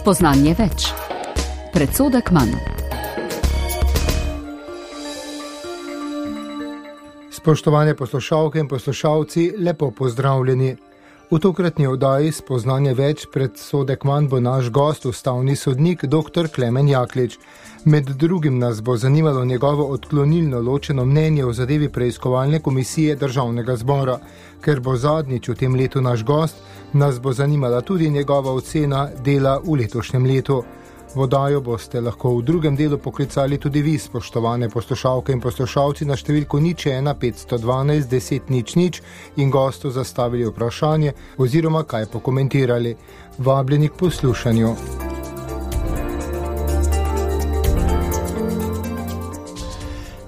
Spoznanje več. Predsodek manj. Spoštovane poslušalke in poslušalci, lepo pozdravljeni. V tokratni oddaji Spoznanje več predsodek manj bo naš gost, ustavni sodnik dr. Klemen Jaklič. Med drugim nas bo zanimalo njegovo odklonilno ločeno mnenje o zadevi preiskovalne komisije Državnega zbora. Ker bo zadnjič v tem letu naš gost, nas bo zanimala tudi njegova ocena dela v letošnjem letu. Vodajo boste lahko v drugem delu poklicali tudi vi, spoštovane poslušalke in poslušalci, na številko 01 512 10 00 in gostu zastavili vprašanje oziroma kaj pokomentirali. Vabljeni k poslušanju.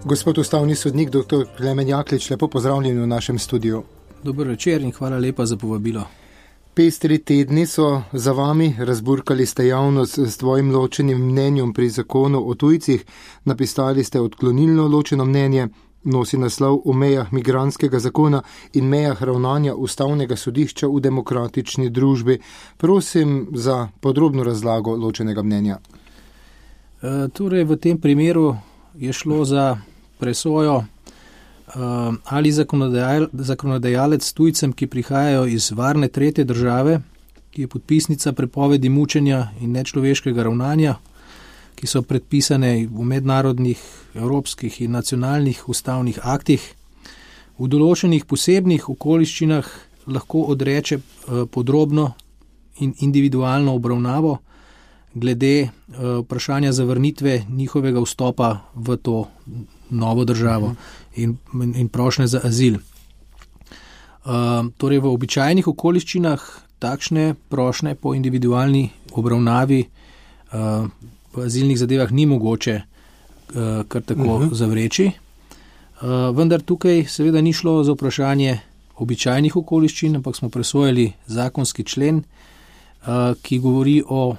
Gospod ustavni sodnik, dr. Klemen Jaklič, lepo pozdravljeni v našem studiu. Dober večer in hvala lepa za povabilo. Pestri tedni so za vami, razburkali ste javnost s svojim ločenim mnenjem pri zakonu o tujcih, napisali ste odklonilno ločeno mnenje, nosi naslov o mejah migrantskega zakona in mejah ravnanja ustavnega sodišča v demokratični družbi. Prosim za podrobno razlago ločenega mnenja. Torej, v tem primeru je šlo za presojo, ali zakonodajalec tujcem, ki prihajajo iz varne tretje države, ki je podpisnica prepovedi mučenja in nečloveškega ravnanja, ki so predpisane v mednarodnih, evropskih in nacionalnih ustavnih aktih, v določenih posebnih okoliščinah lahko odreče podrobno in individualno obravnavo glede vprašanja zavrnitve njihovega vstopa v to novo državo in prošnje za azil. Torej v običajnih okoliščinah takšne prošnje po individualni obravnavi v azilnih zadevah ni mogoče kar tako zavreči. Vendar tukaj seveda ni šlo za vprašanje običajnih okoliščin, ampak smo presojali zakonski člen, ki govori o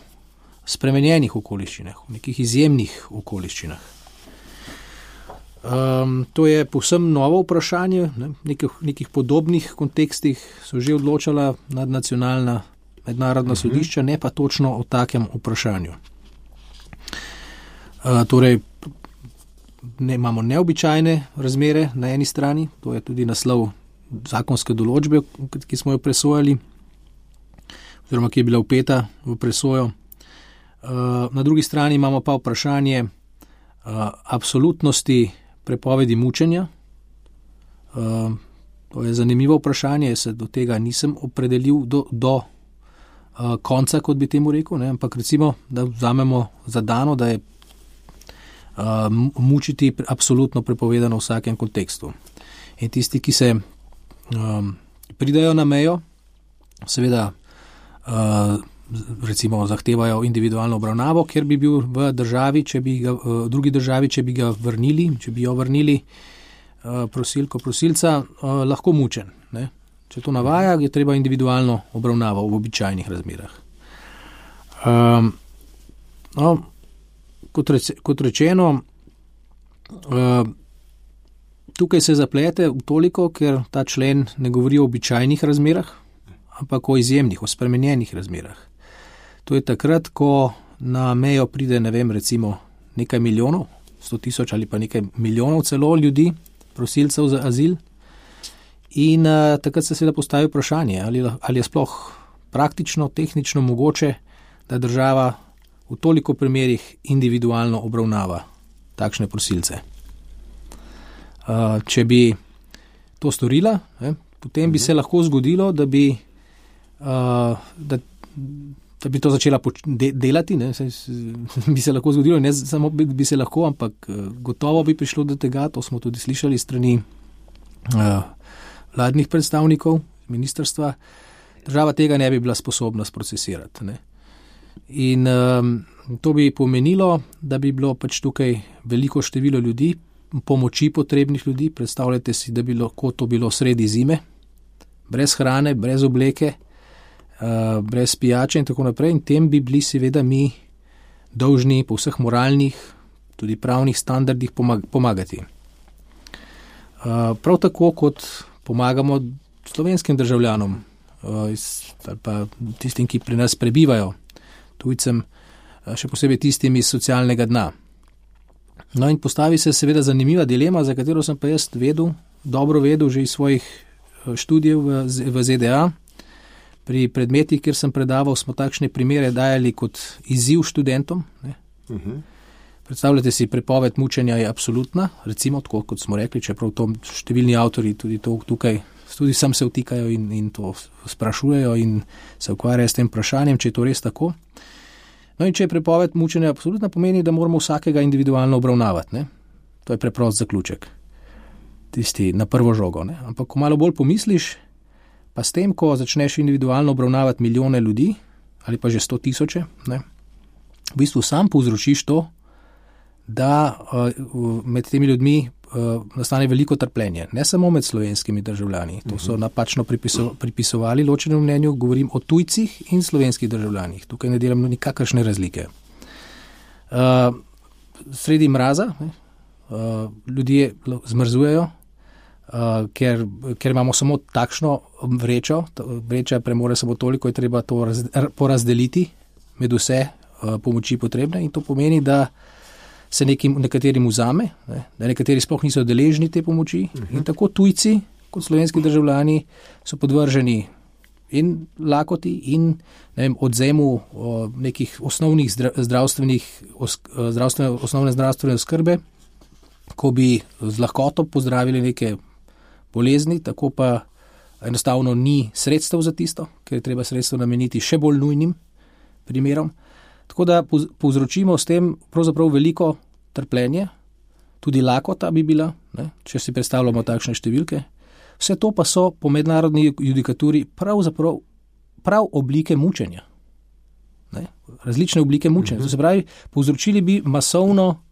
spremenjenih okoliščinah, v nekih izjemnih okoliščinah. To je povsem novo vprašanje, nekih podobnih kontekstih so že odločala nadnacionalna mednarodna sodišča, ne pa točno o takem vprašanju. Torej, imamo neobičajne razmere na eni strani, to je tudi naslov zakonske določbe, ki smo jo presojali, oziroma ki je bila vpeta v presojo. Na drugi strani imamo pa vprašanje absolutnosti prepovedi mučenja. To je zanimivo vprašanje, se do tega nisem opredelil do konca, kot bi temu rekel, ne? Ampak recimo, da vzamemo za dano, da je mučiti absolutno prepovedano v vsakem kontekstu. In tisti, ki se pridajo na mejo, seveda recimo zahtevajo individualno obravnavo, ker bi bil v državi, drugi državi, če bi ga vrnili, če bi jo vrnili prosilca, lahko mučen. Ne? Če to navaja, je treba individualno obravnavo v običajnih razmerah. Kot rečeno, tukaj se zaplete v toliko, ker ta člen ne govori o običajnih razmerah, ampak o izjemnih, o spremenjenih razmerah. To je takrat, ko na mejo pride, recimo nekaj milijonov, 100 000 ali pa nekaj milijonov celo ljudi, prosilcev za azil. In takrat se seveda postavi vprašanje, ali je sploh praktično, tehnično mogoče, da država v toliko primerih individualno obravnava takšne prosilce. Če bi to storila, potem bi se lahko zgodilo, da bi to začela delati, bi se lahko zgodilo, ne samo bi se lahko, ampak gotovo bi prišlo do tega, to smo tudi slišali strani vladnih predstavnikov ministrstva, država tega ne bi bila sposobna sprocesirati. Ne. In to bi pomenilo, da bi bilo pač tukaj veliko število ljudi, pomoči potrebnih ljudi, predstavljajte si, da bi lahko to bilo sredi zime, brez hrane, brez obleke, brez pijače in tako naprej, in tem bi bili seveda mi dolžni po vseh moralnih, tudi pravnih standardih pomagati. Prav tako kot pomagamo slovenskim državljanom ali pa tistim, ki pri nas prebivajo. tujcem, še posebej tistim iz socialnega dna. No in postavi se seveda zanimiva dilema, za katero sem pa jaz dobro vedel že iz svojih študijev v ZDA. Pri predmetih, kjer sem predaval, smo takšne primere dajali kot izziv študentom. Predstavljate si, prepoved mučenja je absolutna, recimo tako, kot smo rekli, čeprav to številni avtori tudi to tukaj, tudi sam se vtikajo in to sprašujejo in se ukvarjajo s tem vprašanjem, če je to res tako. No in če je prepoved mučenja absolutna, pomeni, da moramo vsakega individualno obravnavati. Ne? To je preprost zaključek. Tisti na prvo žogo. Ne? Ampak ko malo bolj pomisliš, pa s tem, ko začneš individualno obravnavati milijone ljudi, ali pa že 100 000, v bistvu sam povzročiš to, da med temi ljudmi nastane veliko trpljenje. Ne samo med slovenskimi državljani. To so napačno pripisovali ločenemu mnenju, govorim o tujcih in slovenskih državljanih. Tukaj ne delam nikakršne razlike. Sredi mraza ljudje zmrzujejo, ker imamo samo takšno vrečo. Vreča premore samo toliko, je treba to porazdeliti med vse pomoči potrebne in to pomeni, da se nekaterim vzame, da nekateri sploh niso deležni te pomoči in tako tujci kot slovenski državljani so podvrženi in lakoti in odzemu nekih osnovnih osnovne zdravstvene oskrbe, ko bi z lahkoto pozdravili neke bolezni, tako pa enostavno ni sredstev za tisto, ker je treba sredstev nameniti še bolj nujnim primerom. Tako da povzročimo s tem pravzaprav veliko trpljenje, tudi lakota bi bila, če si predstavljamo takšne številke. Vse to pa so po mednarodni judikaturi prav oblike mučenja. Različne oblike mučenja. To se pravi, povzročili bi masovno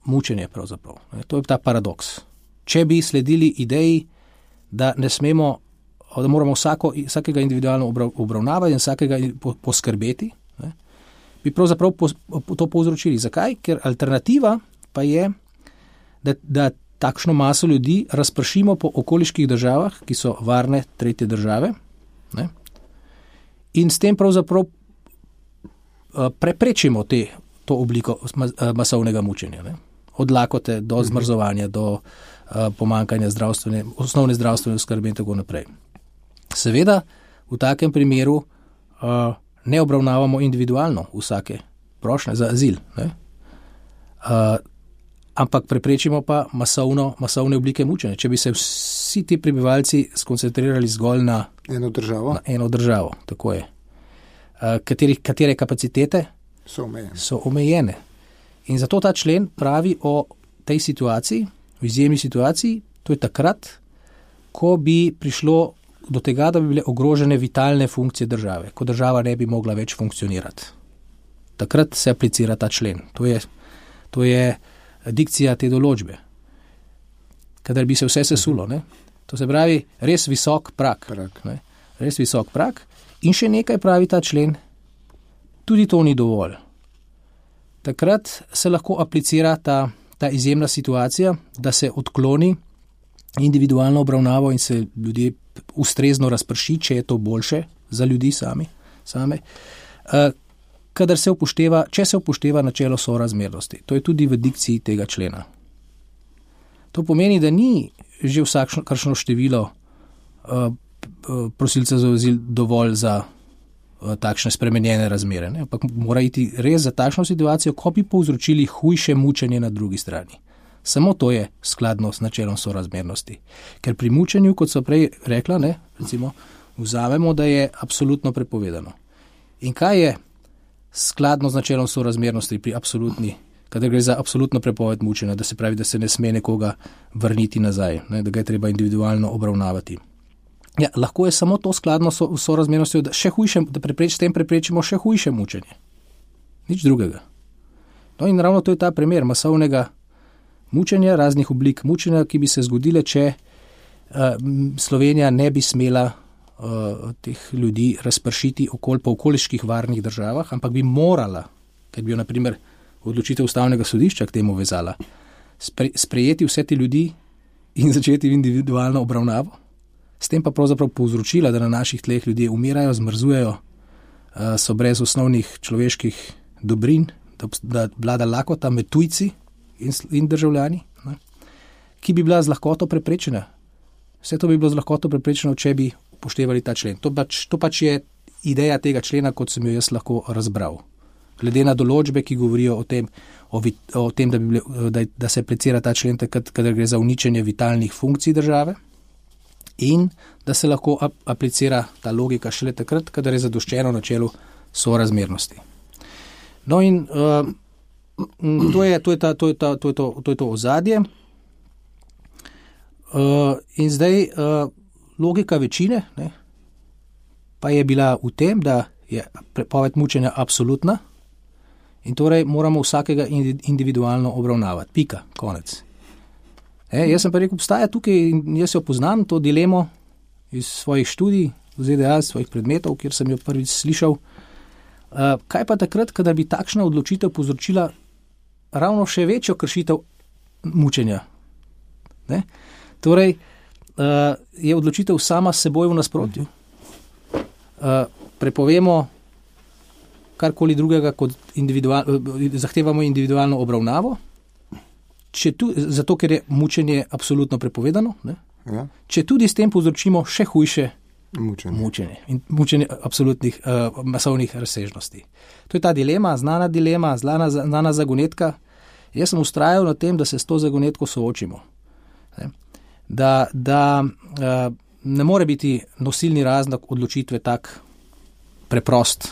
mučenje pravzaprav. To je ta paradoks. Če bi sledili ideji, da ne smemo, da moramo vsakega individualno obravnavati in vsakega poskrbeti, bi pravzaprav to povzročili. Zakaj? Ker alternativa pa je, da takšno maso ljudi razpršimo po okoliških državah, ki so varne tretje države, in s tem pravzaprav preprečimo to obliko masovnega mučenja. Od lakote do zmrzovanja, do pomanjkanja osnovne zdravstvene oskrbe in tako naprej. Seveda, v takem primeru ne obravnavamo individualno vsake prošnje za azil, ampak preprečimo pa masovne oblike mučenja. Če bi se vsi ti prebivalci skoncentrirali zgolj na eno državo, tako je. Katere kapacitete so omejene. In zato ta člen pravi o tej situaciji, o izjemni situaciji, to je takrat, ko bi prišlo do tega, da bi bile ogrožene vitalne funkcije države, ko država ne bi mogla več funkcionirati. Takrat se aplicira ta člen. To je dikcija te določbe. Kadar bi se vse sesulo. To se pravi res visok prag. Res visok prag. In še nekaj pravi ta člen, tudi to ni dovolj. Takrat se lahko aplicira ta izjemna situacija, da se odkloni individualno obravnavo in se ljudje ustrezno razprši, če je to boljše za ljudi same, če se upošteva načelo sorazmernosti. To je tudi v dikciji tega člena. To pomeni, da ni že vsakršno število prosilcev za azil dovolj za takšne spremenjene razmere, ampak mora iti res za takšno situacijo, ko bi povzročili hujše mučenje na drugi strani. Samo to je skladno s načelom sorazmernosti. Ker pri mučenju, kot so prej rekla, recimo, vzamemo, da je absolutno prepovedano. In kaj je skladno z načelom sorazmernosti pri absolutni, kadar gre za absolutno prepoved mučenja, da se pravi, da se ne sme nekoga vrniti nazaj, da ga je treba individualno obravnavati. Ja, lahko je samo to skladno s sorazmernostjo, da s tem preprečimo še hujše mučenje. Nič drugega. No in ravno to je ta primer masovnega mučenja, raznih oblik mučenja, ki bi se zgodile, če Slovenija ne bi smela teh ljudi razpršiti po okoliških varnih državah, ampak bi morala, ker bi jo na primer odločitev ustavnega sodišča k temu vezala, sprejeti vse te ljudi in začeti individualno obravnavo, s tem pa pravzaprav povzročila, da na naših tleh ljudje umirajo, zmrzujejo, so brez osnovnih človeških dobrin, da vlada lakota med tujci in državljani, ne, ki bi bila z lahkoto preprečena. Vse to bi bilo z lahkoto preprečeno, če bi upoštevali ta člen. To pač je ideja tega člena, kot sem jo jaz lahko razbral. Glede na določbe, ki govorijo o tem, da se aplicira ta člen takrat, kadar gre za uničenje vitalnih funkcij države in da se lahko aplicira ta logika šele takrat, kadar je zadoščeno načelu sorazmernosti. No in to je to ozadje. In zdaj logika večine, ne, pa je bila v tem, da je prepoved mučenja absolutna in torej moramo vsakega individualno obravnavati. Pika, konec. Jaz sem pa rekel, obstaja tukaj in jaz jo poznam, to dilemo iz svojih študij, v ZDA, svojih predmetov, kjer sem jo prvič slišal. Kaj pa takrat, kadar bi takšna odločitev povzročila ravno še večjo kršitev mučenja? Ne? Torej, je odločitev sama s seboj v nasprotju. Prepovemo karkoli drugega, kot zahtevamo individualno obravnavo, zato ker je mučenje absolutno prepovedano, ne? Ja. Če tudi s tem povzročimo še hujše mučenje in mučenje absolutnih masovnih razsežnosti. To je ta dilema, znana zagonetka. Jaz sem vztrajal na tem, da se s to zagonetko soočimo. Ne? Da ne more biti nosilni razlog odločitve tak preprost,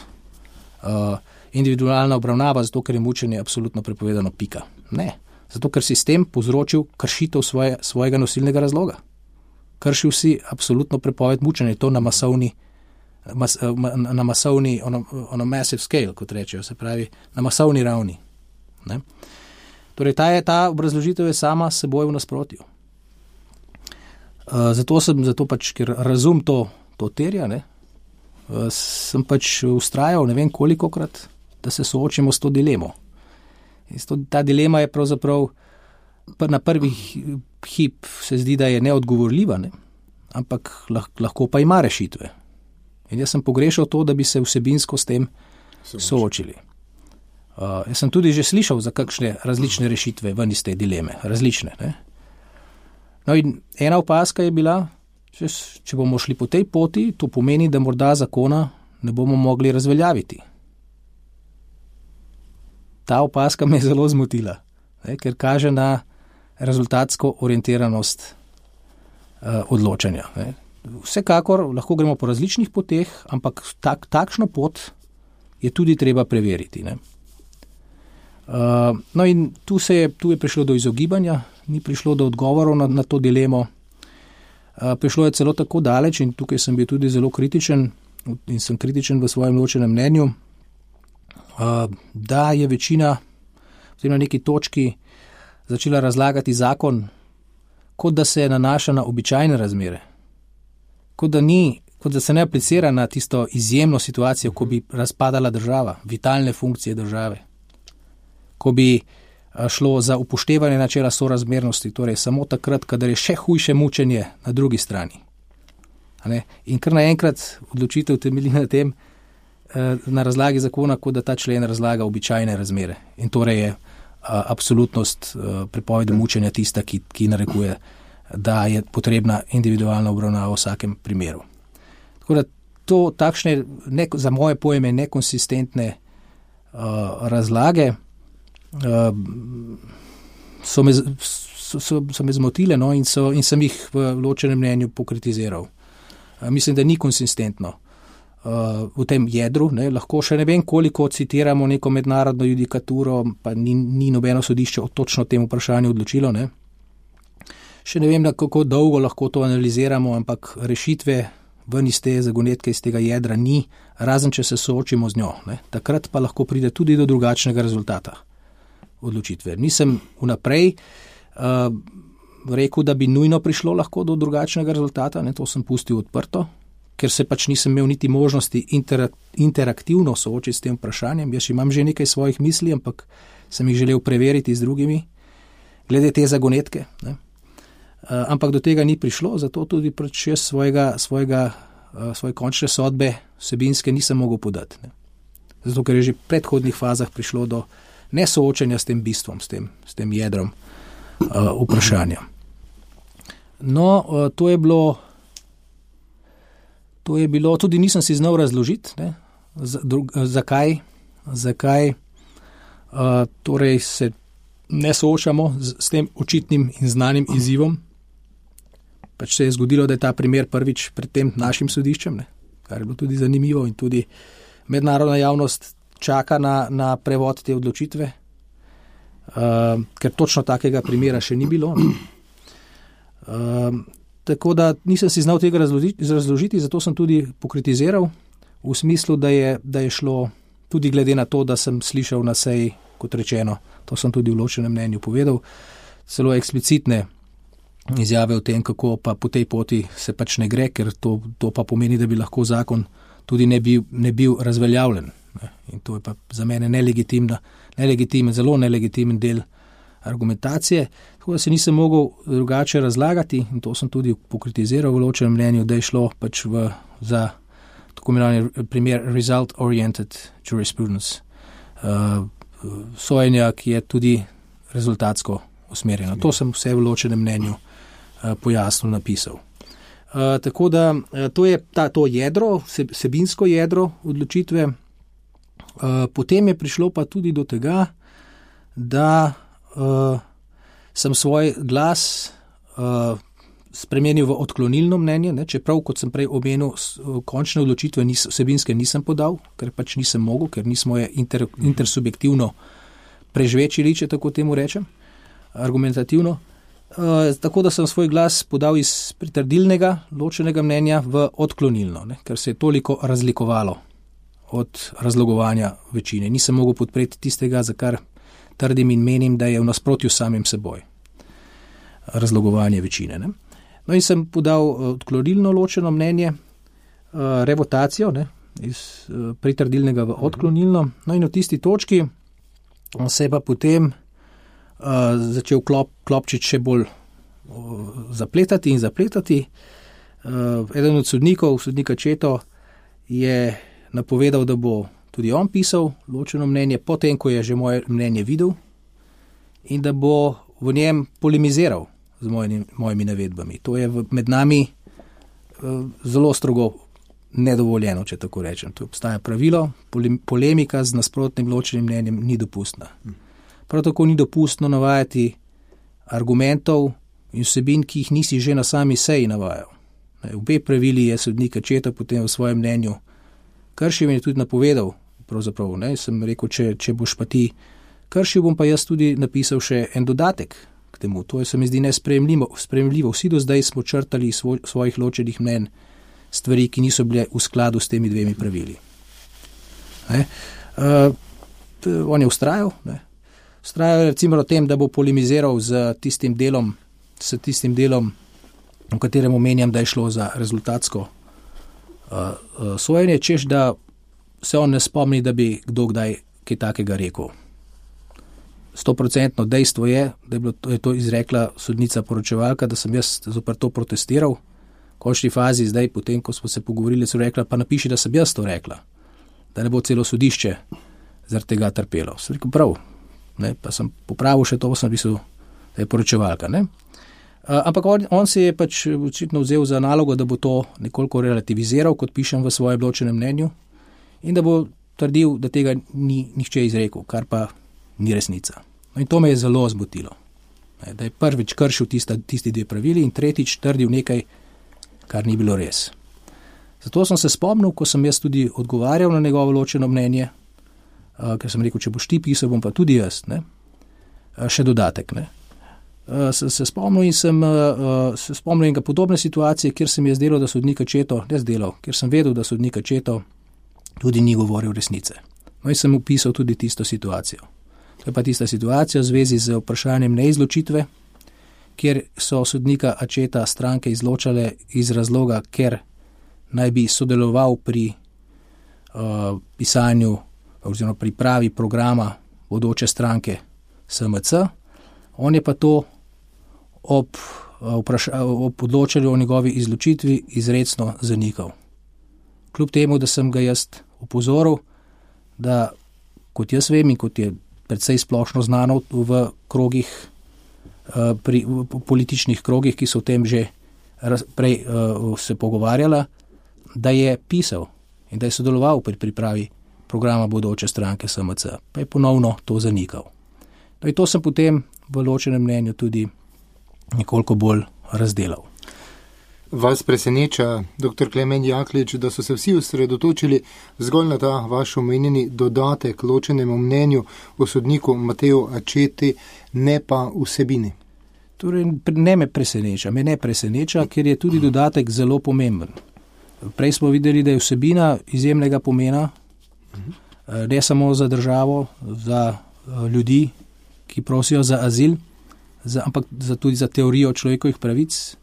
individualna obravnava, zato ker je mučenje absolutno prepovedano, pika. Ne, zato ker si s tem povzročil kršitev svojega nosilnega razloga. Kršil si absolutno prepoved mučenja, to na masovni, on a massive scale, kot rečejo, se pravi, na masovni ravni. Ne? Torej, ta obrazložitev je sama s seboj v nasprotju. Zato pač, ker razum to terja, ne, sem pač ustrajal, ne vem kolikokrat, da se soočimo s to dilemo. Ta dilema je pravzaprav na prvi hip se zdi, da je neodgovorljiva, ne, ampak lahko pa ima rešitve. In jaz sem pogrešal to, da bi se vsebinsko s tem soočili. Jaz sem tudi že slišal za kakšne različne rešitve ven iz te dileme, različne, ne. No in ena opazka je bila, če bomo šli po tej poti, to pomeni, da morda zakona ne bomo mogli razveljaviti. Ta opazka me je zelo zmotila, ne, ker kaže na rezultatsko orientiranost odločanja. Ne. Vsekakor lahko gremo po različnih poteh, ampak takšno pot je tudi treba preveriti. Ne. No in tu je prišlo do izogibanja, ni prišlo do odgovorov na to dilemo. Prišlo je celo tako daleč in tukaj sem bil tudi zelo kritičen in sem kritičen v svojem ločenem mnenju, da je večina na neki točki začela razlagati zakon, kot da se nanaša na običajne razmere, kot da se ne aplicira na tisto izjemno situacijo, ko bi razpadala država, vitalne funkcije države, ko bi šlo za upoštevanje načela sorazmernosti, torej samo takrat, kadar je še hujše mučenje na drugi strani. In kar naenkrat odločitev temelji na tem, na razlagi zakona, kot da ta člen razlaga običajne razmere. In torej je absolutnost prepovedi mučenja tista, ki narekuje, da je potrebna individualna obravnava v vsakem primeru. Tako da to takšne, za moje pojme, nekonsistentne razlage so me zmotile, no, in sem jih v ločenem mnenju pokritiziral. Mislim, da ni konsistentno v tem jedru, ne, lahko še ne vem koliko citiramo neko mednarodno judikaturo, pa ni nobeno sodišče o točno tem vprašanju odločilo, ne. Še ne vem, kako dolgo lahko to analiziramo, ampak rešitve ven iz te zagonetke, iz tega jedra ni, razen če se soočimo z njo, ne. Takrat pa lahko pride tudi do drugačnega rezultata odločitve. Nisem vnaprej rekel, da bi nujno prišlo lahko do drugačnega rezultata, ne, to sem pustil odprto, ker se pač nisem imel niti možnosti interaktivno soočiti s tem vprašanjem. Jaz imam že nekaj svojih misli, ampak sem jih želel preveriti z drugimi, glede te zagonetke, ne. Ampak do tega ni prišlo, zato tudi pač jaz svojega svoje končne sodbe vsebinske nisem mogel podati. Ne. Zato, ker je že v predhodnih fazah prišlo do nesoočenja s tem bistvom, s tem jedrom vprašanja. No, to je bilo, tudi nisem si znal razložiti, ne, zakaj torej se ne soočamo s tem očitnim in znanim izzivom. Pač se je zgodilo, da je ta primer prvič pred tem našim sodiščem, ne, kar je bilo tudi zanimivo in tudi mednarodna javnost čaka na prevod te odločitve, ker točno takega primera še ni bilo. Tako da nisem si znal tega razložiti, zato sem tudi pokritiziral v smislu, da je šlo tudi glede na to, da sem slišal na seji, kot rečeno, to sem tudi v ločenem mnenju povedal, celo eksplicitne izjave o tem, kako pa po tej poti se pač ne gre, ker to pa pomeni, da bi lahko zakon tudi ne bil razveljavljen. Ne. In to je pa za mene zelo nelegitimen del argumentacije, tako da se nisem mogel drugače razlagati in to sem tudi pokritiziral v ločenem mnenju, da je šlo pač za tako imenovani primer result-oriented jurisprudence, sojenja, ki je tudi rezultatsko usmerjeno. To sem vse v ločenem mnenju pojasnil, napisal. Tako da to je to jedro, vsebinsko jedro odločitve. Potem je prišlo pa tudi do tega, da sem svoj glas spremenil v odklonilno mnenje, ne, čeprav, kot sem prej omenil, končne odločitve vsebinske nisem podal, ker pač nisem mogel, ker nismo je intersubjektivno prežvečili, če tako temu rečem, argumentativno. Tako da sem svoj glas podal iz pritrdilnega ločenega mnenja v odklonilno, ne, ker se je toliko razlikovalo od razlogovanja večine. Nisem mogel podpreti tistega, za kar trdim in menim, da je v nasprotju s samim seboj razlogovanje večine. Ne. No in sem podal odklonilno ločeno mnenje, revotacijo, ne, iz pritrdilnega v odklonilno. No in v tisti točki se je pa potem začel klopčič še bolj zapletati. Eden od sodnikov, sodnika Četo, je napovedal, da bo tudi on pisal ločeno mnenje, potem, ko je že moje mnenje videl in da bo v njem polemiziral z mojimi navedbami. To je med nami zelo strogo nedovoljeno, če tako rečem. To obstaja pravilo, polemika z nasprotnim ločenim mnenjem ni dopustna. Prav tako ni dopustno navajati argumentov in vsebin, ki jih nisi že na sami seji navajal. Obe pravili je sodnik Četo potem v svojem mnenju kršil in je tudi napovedal, pravzaprav, ne, sem rekel, če boš pa ti kršil, bom pa jaz tudi napisal še en dodatek k temu. To se mi zdi nesprejemljivo. Vsi do zdaj smo črtali svojih ločenih mnenj stvari, ki niso bile v skladu s temi dvemi pravili. On je vztrajal, recimo o tem, da bo polemiziral s tistim delom, v katerem omenjam, da je šlo za rezultatsko sojenje, češ da se on ne spomni, da bi kdo kdaj kaj takega rekel. 100% dejstvo je, da je to izrekla sodnica poročevalka, da sem jaz zoper to protestiral. V končni fazi zdaj, potem, ko smo se pogovorili, so rekla, pa napiši, da sem jaz to rekla, da ne bo celo sodišče zaradi tega trpelo. Sem rekel, prav, ne, pa sem popravil še to, sem pisal, da je poročevalka. Ne. Ampak on se je pač očitno vzel za nalogo, da bo to nekoliko relativiziral, kot pišem v svojem ločenem mnenju, in da bo trdil, da tega ni nihče izrekel, kar pa ni resnica. No in to me je zelo zmotilo. Da je prvič kršil tisti dve pravili in tretjič trdil nekaj, kar ni bilo res. Zato sem se spomnil, ko sem jaz tudi odgovarjal na njegovo ločeno mnenje, ker sem rekel, če boš ti pisal, bom pa tudi jaz, ne? Še dodatek. Ne? Se spomnil in podobne situacije, kjer se mi je zdelo, da sodnika Četo, ker sem vedel, da sodnika Četo tudi ni govoril resnice. No in sem opisal tudi tisto situacijo. To je pa tista situacija v zvezi z vprašanjem neizločitve, kjer so sodnika Četa stranke izločale iz razloga, ker naj bi sodeloval pri pisanju oziroma pripravi programa bodoče stranke SMC. On je pa to ob odločanju o njegovi izločitvi izrecno zanikal. kljub temu, da sem ga jaz opozoril, da kot jaz vem in kot je precej splošno znano v krogih, pri političnih krogih, ki so o tem že prej se pogovarjala, da je pisal in da je sodeloval pri pripravi programa bodoče stranke SMC, pa je ponovno to zanikal. No in to sem potem v ločenem mnenju tudi nekoliko bolj razdelal. Vas preseneča, dr. Klemen Jaklič, da so se vsi osredotočili zgolj na ta vaš omenjeni dodatek ločenemu mnenju o sodniku Mateju Acceti, ne pa vsebini? Torej, me ne preseneča, ker je tudi dodatek zelo pomemben. Prej smo videli, da je vsebina izjemnega pomena, ne samo za državo, za ljudi, ki prosijo za azil, ampak tudi za teorijo človekovih pravic,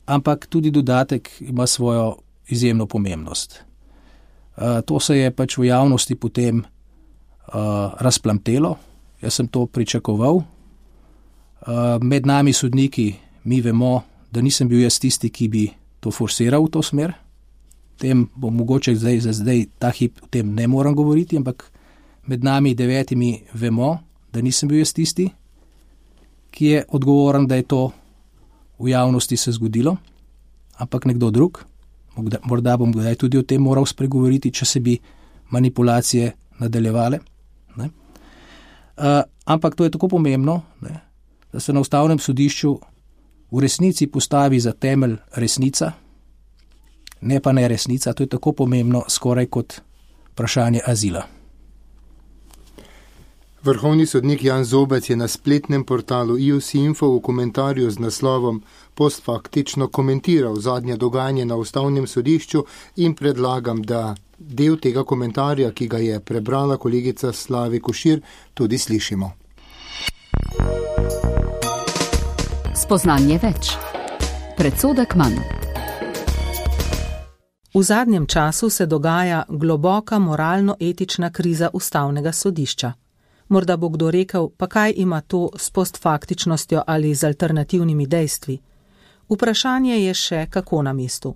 ampak tudi dodatek ima svojo izjemno pomembnost. To se je pač v javnosti potem razplamtelo, jaz sem to pričakoval. Med nami sodniki mi vemo, da nisem bil jaz tisti, ki bi to forsiral v to smer. Tem bo mogoče zdaj ta hip o tem ne moram govoriti, ampak med nami 9 vemo, da nisem bil jaz tisti, ki je odgovoren, da je to v javnosti se zgodilo, ampak nekdo drug. Morda bom kdaj tudi o tem moral spregovoriti, če se bi manipulacije nadaljevale. Ampak to je tako pomembno, da se na Ustavnem sodišču v resnici postavi za temelj resnica, ne pa ne resnica. To je tako pomembno skoraj kot vprašanje azila. Vrhovni sodnik Jan Zobec je na spletnem portalu IOS-info v komentarju z naslovom Postfaktično komentiral zadnje dogajanje na Ustavnem sodišču in predlagam, da del tega komentarja, ki ga je prebrala kolegica Slavi Košir, tudi slišimo. Spoznanje več. Predsodek manj. V zadnjem času se dogaja globoka moralno-etična kriza Ustavnega sodišča. Morda bo kdo rekel, pa kaj ima to s postfaktičnostjo ali z alternativnimi dejstvi? Vprašanje je še kako na mestu.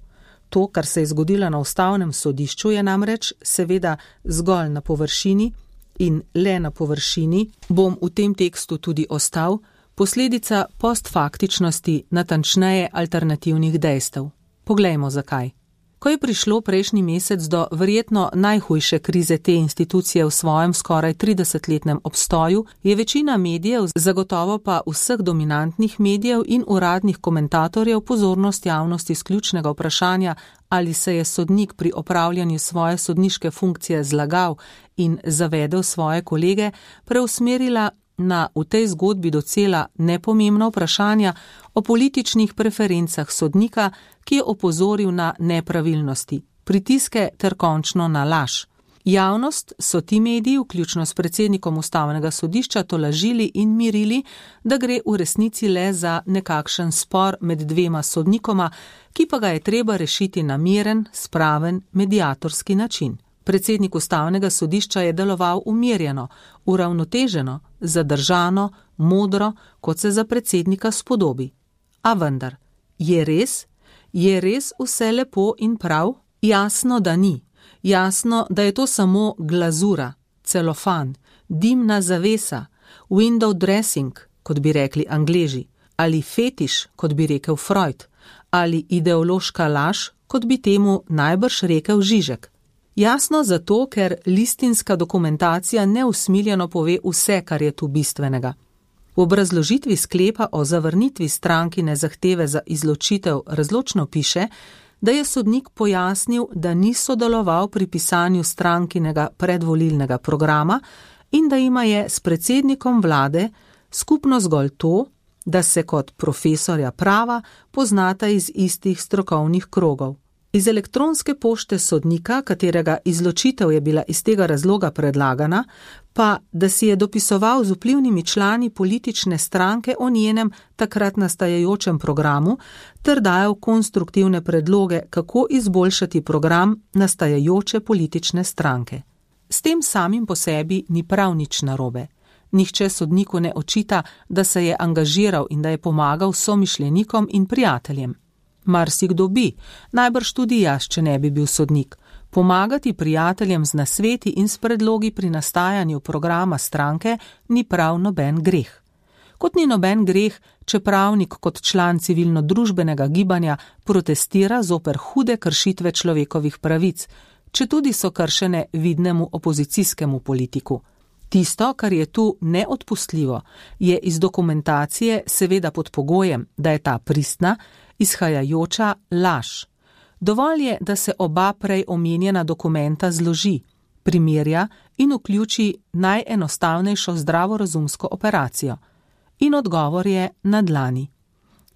To, kar se je zgodilo na Ustavnem sodišču, je namreč seveda zgolj na površini in le na površini, bom v tem tekstu tudi ostal, posledica postfaktičnosti, natančneje alternativnih dejstev. Poglejmo zakaj. Ko je prišlo prejšnji mesec do verjetno najhujše krize te institucije v svojem skoraj 30-letnem obstoju, je večina medijev, zagotovo pa vseh dominantnih medijev in uradnih komentatorjev pozornost javnosti z ključnega vprašanja, ali se je sodnik pri opravljanju svoje sodniške funkcije zlagal in zavedel svoje kolege, preusmerila na v tej zgodbi docela nepomembna vprašanja o političnih preferencah sodnika, ki je opozoril na nepravilnosti, pritiske ter končno na laž. Javnost so ti mediji, vključno s predsednikom Ustavnega sodišča, tolažili in mirili, da gre v resnici le za nekakšen spor med dvema sodnikoma, ki pa ga je treba rešiti na miren, spraven, mediatorski način. Predsednik Ustavnega sodišča je deloval umirjeno, uravnoteženo, zadržano, modro, kot se za predsednika spodobi. A vendar, je res vse lepo in prav? Jasno, da ni. Jasno, da je to samo glazura, celofan, dimna zavesa, window dressing, kot bi rekli Angleži, ali fetiš, kot bi rekel Freud, ali ideološka laž, kot bi temu najbrž rekel Žižek. Jasno zato, ker listinska dokumentacija neusmiljeno pove vse, kar je tu bistvenega. V obrazložitvi sklepa o zavrnitvi strankine zahteve za izločitev razločno piše, da je sodnik pojasnil, da ni sodeloval pri pisanju strankinega predvolilnega programa in da ima je s predsednikom vlade skupno zgolj to, da se kot profesorja prava poznata iz istih strokovnih krogov. Iz elektronske pošte sodnika, katerega izločitev je bila iz tega razloga predlagana, pa da si je dopisoval z vplivnimi člani politične stranke o njenem takrat nastajajočem programu ter dajal konstruktivne predloge, kako izboljšati program nastajajoče politične stranke. S tem samim po sebi ni prav nič narobe. Nihče sodniku ne očita, da se je angažiral in da je pomagal somišljenikom in prijateljem. Marsikdo bi, najbrž tudi jaz, če ne bi bil sodnik. Pomagati prijateljem z nasveti in s predlogi pri nastajanju programa stranke ni prav noben greh. Kot ni noben greh, če pravnik kot član civilno-družbenega gibanja protestira zoper hude kršitve človekovih pravic, četudi so kršene vidnemu opozicijskemu politiku. Tisto, kar je tu neodpustljivo, je iz dokumentacije seveda pod pogojem, da je ta pristna, izhajajoča laž. Dovolj je, da se oba prej omenjena dokumenta zloži, primerja in vključi najenostavnejšo zdravorazumsko operacijo. In odgovor je na dlani.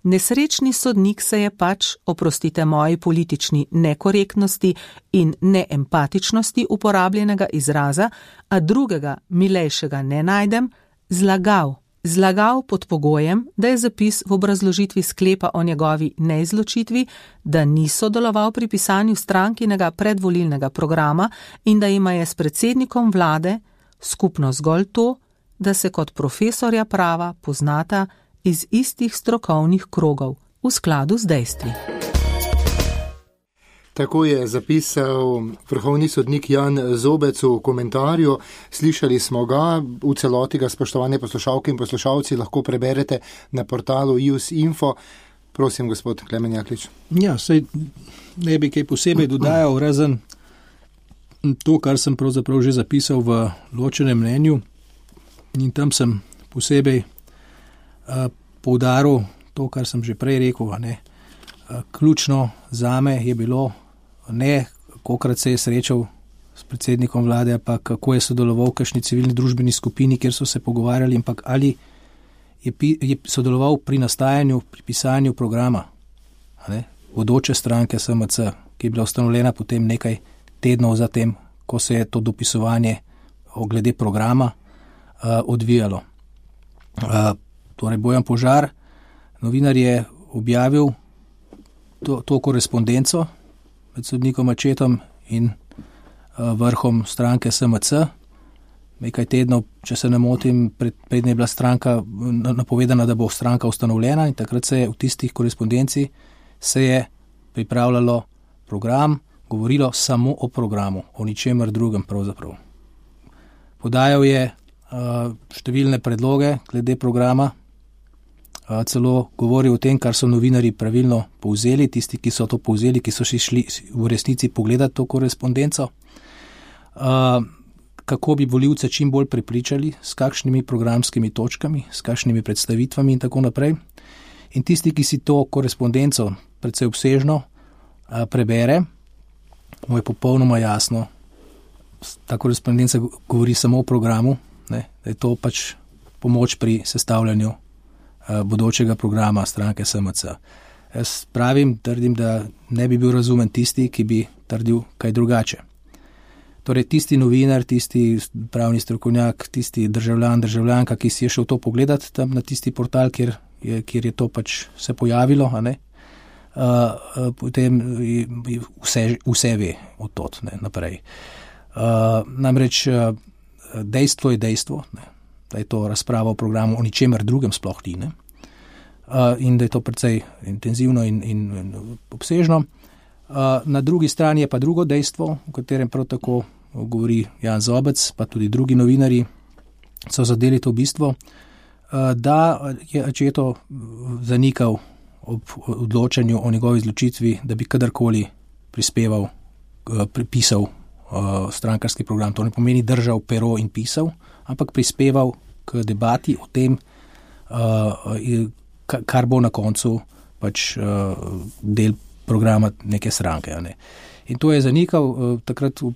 Nesrečni sodnik se je pač, oprostite moji politični nekorektnosti in neempatičnosti uporabljenega izraza, a drugega, milejšega ne najdem, zlagal. Zlagal pod pogojem, da je zapis v obrazložitvi sklepa o njegovi neizločitvi, da ni sodeloval pri pisanju strankinega predvolilnega programa in da ima je s predsednikom vlade skupno zgolj to, da se kot profesorja prava poznata iz istih strokovnih krogov v skladu z dejstvi. Tako je zapisal vrhovni sodnik Jan Zobec v komentarju. Slišali smo ga, v celoti ga, spoštovane poslušalke in poslušalci, lahko preberete na portalu IUS.info. Prosim, gospod Klemen Jaklič. Ja, sej ne bi kaj posebej dodajal, razen to, kar sem pravzaprav že zapisal v ločenem mnenju, in tam sem posebej poudaril to, kar sem že prej rekel. Ključno zame je bilo ne, kolikrat se je srečal s predsednikom vlade, pa kako je sodeloval v kakšni civilni družbeni skupini, kjer so se pogovarjali, ampak ali je sodeloval pri nastajanju, pri pisanju programa vodoče stranke SMC, ki je bila ustanovljena potem nekaj tednov zatem, ko se je to dopisovanje glede programa odvijalo. Torej Bojan Požar, novinar, je objavil to korespondenco med sodnikom Accettom in vrhom stranke SMC. Nekaj tednov, če se ne motim, predtem je bila stranka napovedana, da bo stranka ustanovljena, in takrat se je v tistih korespondenci se je pripravljalo program, govorilo samo o programu, o ničemer drugem pravzaprav. Podajal je številne predloge glede programa, celo govoril o tem, kar so novinarji pravilno povzeli, tisti, ki so to povzeli, ki so šli v resnici pogledati to korespondenco, kako bi volivce čim bolj prepričali, s kakšnimi programskimi točkami, s kakšnimi predstavitvami in tako naprej. In tisti, ki si to korespondenco precej obsežno prebere, mu je popolnoma jasno, ta korespondenca govori samo o programu, da je to pač pomoč pri sestavljanju bodočega programa stranke SMC. Jaz trdim, da ne bi bil razumen tisti, ki bi trdil kaj drugače. Torej tisti novinar, tisti pravni strokovnjak, tisti državljanka, ki si je šel to pogledati tam na tisti portal, kjer je to pač se pojavilo, potem vse ve od tot naprej. Namreč dejstvo je dejstvo, da je to razprava o programu o ničemer drugem sploh ni, in da je to precej intenzivno in obsežno. Na drugi strani je pa drugo dejstvo, v katerem prav tako govori Jan Zobec, pa tudi drugi novinarji so zadeli to bistvo, da je Accetto zanikal ob odločanju o njegovi izločitvi, da bi kadarkoli pisal strankarski program. To ne pomeni držal pero in pisal, ampak prispeval k debati o tem, kar bo na koncu pač del programa neke stranke. In to je zanikal. Takrat v